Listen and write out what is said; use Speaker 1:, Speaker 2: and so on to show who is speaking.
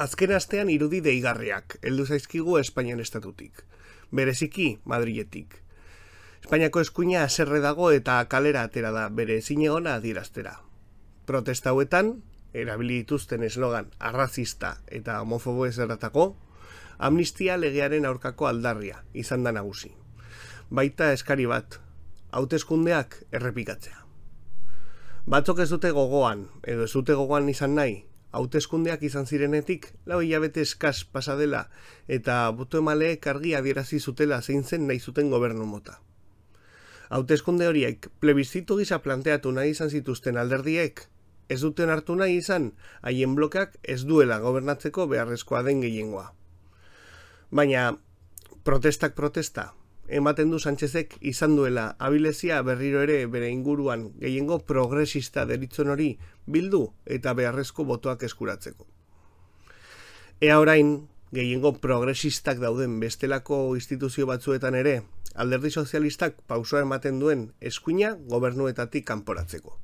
Speaker 1: Azken astean irudi deigarriak heldu zaizkigu Espainian estatutik, bereziki Madriletik. Espainiako eskuina haserre dago eta kalera atera da bere ezinegona adieraztera. Protesta hauetan, erabili dituzten eslogan arrazista eta homofobo ezeratako, amnistia legearen aurkako aldarria izan da nagusi. Baita eskari bat, hauteskundeak errepikatzea. Batzok ez dute gogoan, edo ez dute gogoan izan nahi, hauteskundeak izan zirenetik 4 hilabete eskas pasa dela eta boto-emaleek argi adierazi zutela zein zen nahi zuten gobernu mota. Hauteskunde horiek plebiszitu gisa planteatu nahi izan zituzten alderdiek, ez duten hartu nahi izan haien blokeak ez duela gobernatzeko beharrezkoa den gehiengoa. Baina, protestak protesta, ematen du Sánchezek izan duela abilezia berriro ere bere inguruan gehiengo progresista deritzon hori bildu eta beharrezko botoak eskuratzeko. Ea orain, gehiengo progresistak dauden bestelako instituzio batzuetan ere, alderdi sozialistak pausoa ematen duen eskuina gobernuetatik kanporatzeko.